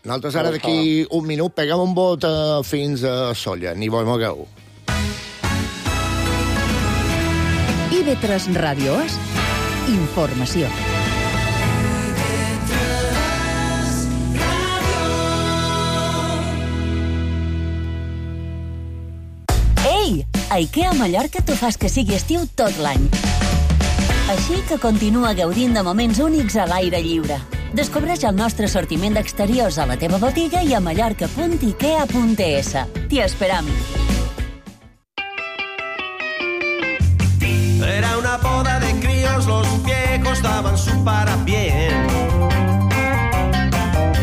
Nosaltres ara d'aquí un minut peguem un bot fins a Solla. Ni vos mogueu. IB3 Ràdio és informació. A IKEA Mallorca t'ho fas que sigui estiu tot l'any. Així que continua gaudint de moments únics a l'aire lliure. Descobreix el nostre sortiment d'exteriors a la teva botiga i a mallorca.ikea.es. T'hi esperam. Era una boda de críos, los viejos daban su parabién.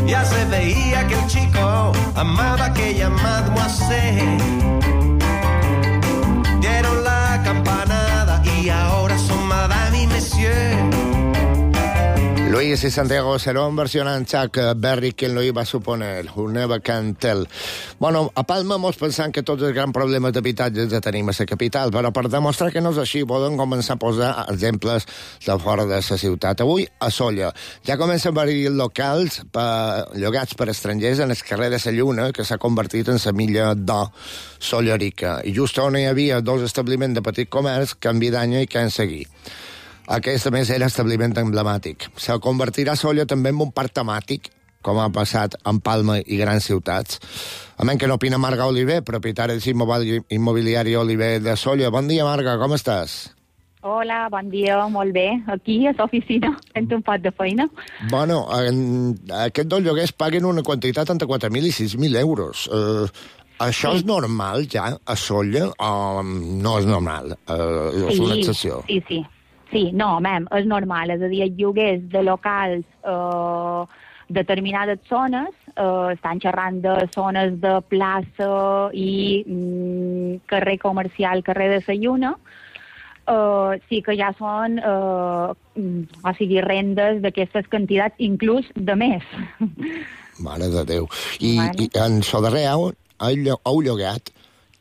Ya se veía que el chico amaba a aquella mademoiselle. Dieron la campanada y ahora son madame y monsieur. Luis y Santiago Serón versionant Chuck Berry, quien lo iba a suponer, Who Never Can Tell. Bueno, a Palma mos pensant que tots els grans problemes d'habitatge ja tenim a la capital, però per demostrar que no és així podem començar a posar exemples de fora de la ciutat. Avui, a Sóller, ja comencen a haver locals llogats per estrangers en el carrer de la Lluna, que s'ha convertit en la milla d'or sollerica. I just on hi havia dos establiments de petit comerç, canvi d'any i que han seguit. Aquest, a més, era establiment emblemàtic. Se convertirà Sóller també en un parc temàtic, com ha passat en Palma i grans ciutats. A menys que n'opina Marga Oliver, propietària de l'immobiliari Oliver de Sóller. Bon dia, Marga, com estàs? Hola, bon dia, molt bé. Aquí, a l'oficina, fent un pot de feina. Bueno, aquests dos lloguers paguen una quantitat entre 4.000 i 6.000 euros. Això és normal, ja, a Sóller, o no és normal? És una excepció. Sí, no, és normal. És a dir, els lloguers de locals determinades zones, estan xerrant de zones de plaça i carrer comercial, carrer de la Lluna, sí que ja són rendes d'aquestes quantitats, inclús de més. Mare de Déu. I en so darrer heu llogat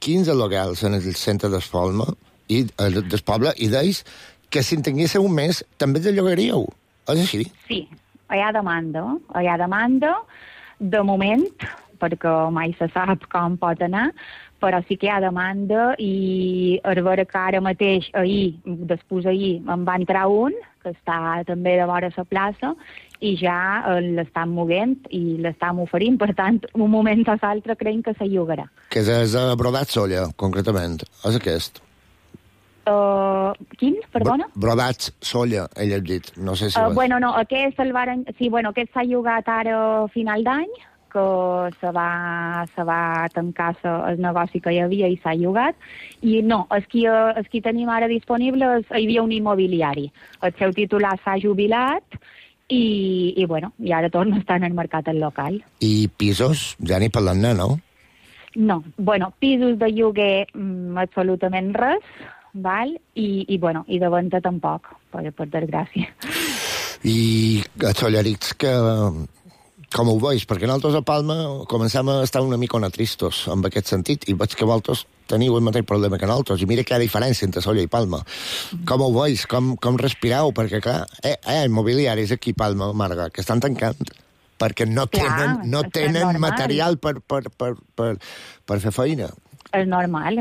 15 locals en el centre d'Espolma i del poble, i d'ells que si en tinguéssiu un mes també els llogaríeu. És així? Sí, hi ha demanda, de moment, perquè mai se sap com pot anar, però sí que hi ha demanda i a veure que ara mateix, després en va entrar un, que està també de vora la plaça, i ja l'estan movent i l'estan oferint, per tant, un moment o l'altre creiem que se llogarà. Que és a Brodat Sóller, concretament, és aquest. Quin, perdona? Brodats Sóller, ell ha dit. No sé si... Aquest s'ha llogat ara a final d'any, que se va tancar el negoci que hi havia i s'ha llogat. I no, el que tenim ara disponible hi havia un immobiliari. El seu titular s'ha jubilat i ara torna a estar en el mercat al local. I pisos? Ja ni parlant-ne, no? No, pisos de lloguer absolutament res, val? I de venda tampoc, per desgràcia. I a Sollerics, com ho veus? Perquè nosaltres a Palma comencem a estar una mica tristos en aquest sentit, i veig que vosaltres teniu el mateix problema que nosaltres, i mira que hi ha diferència entre Sóller i Palma. Com ho veus? Com respireu? Perquè, clar, immobiliaris aquí a Palma, Marga, que estan tancant perquè no tenen material per fer feina. És normal.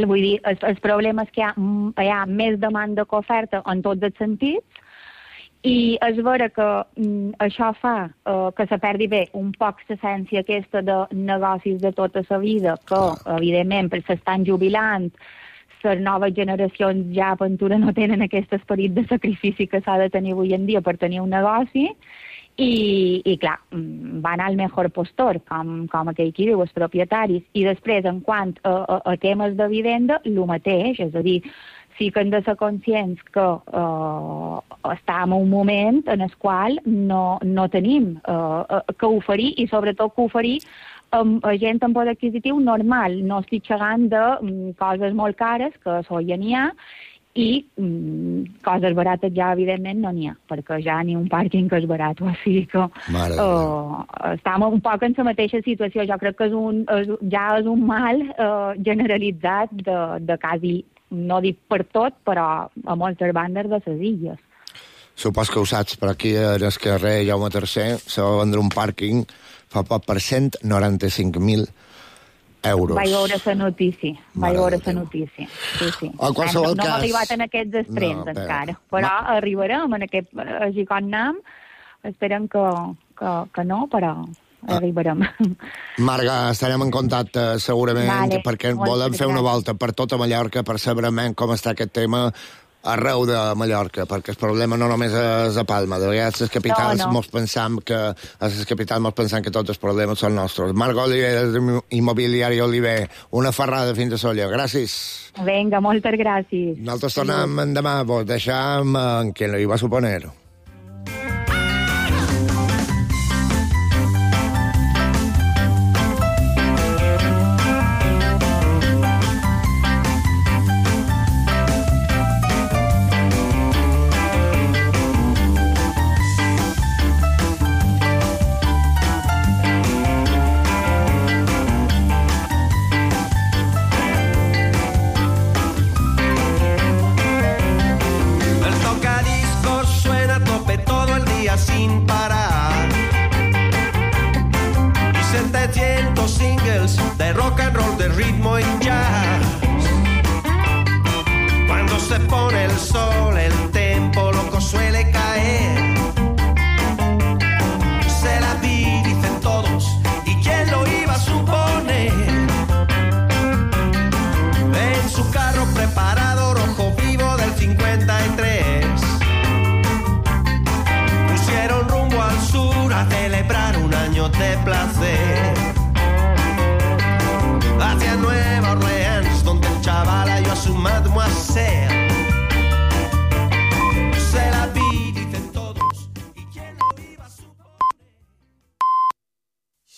Vull dir, el problema és que hi ha més demanda que oferta en tots els sentits, i és vera que això fa que se perdi bé un poc l'essència aquesta de negocis de tota la vida, que, evidentment, s'estan jubilant, les noves generacions ja a Ventura no tenen aquest esperit de sacrifici que s'ha de tenir avui en dia per tenir un negoci, i clar, van al mejor postor, com aquell qui diu, els propietaris. I després, en quant a temes de vivenda, el mateix, és a dir, sí que hem de ser conscients que estem en un moment en el qual no tenim que oferir, i sobretot que oferir a gent amb poder adquisitiu normal. No estic xerrant de coses molt cares, que això ja n'hi ha, i coses barates ja, evidentment, no n'hi ha, perquè ja ni un pàrquing que és barat, o sigui que estem un poc en la mateixa situació. Jo crec que ja és un mal generalitzat de quasi, no dic per tot, però a moltes bandes de les illes. Supos que ho saps, però aquí en el carrer Jaume III se va vendre un pàrquing fa poc per 195.000 euros. Vaig veure la notícia. Sí. En qualsevol cas... No hem arribat en aquests extrems encara, però arribarem en aquest... Així com anem, esperem que no, però arribarem. Marga, estarem en contacte segurament, perquè volem fer una volta per tota Mallorca per saber com està aquest tema arreu de Mallorca, perquè el problema no només és a Palma. De vegades les capitals mos pensam que tots els problemes són nostres. Marc Oliver, Immobiliari Oliver, una ferrada fins a Sóller. Gràcies. Vinga, moltes gràcies. Nosaltres tornem demà, vos deixam en que no hi va suponer. sin parar. Y 700 singles de rock and roll, de ritmo y jazz. Cuando se pone el sol, el tempo loco suele caer. Se la vi, dicen todos, ¿y quién lo iba a suponer? En su carro preparado, rojo vivo del 53, pusieron rumbo al sur a celebrar un año de placer. Hacia Nueva Orleans, donde el chaval halló a su mademoiselle.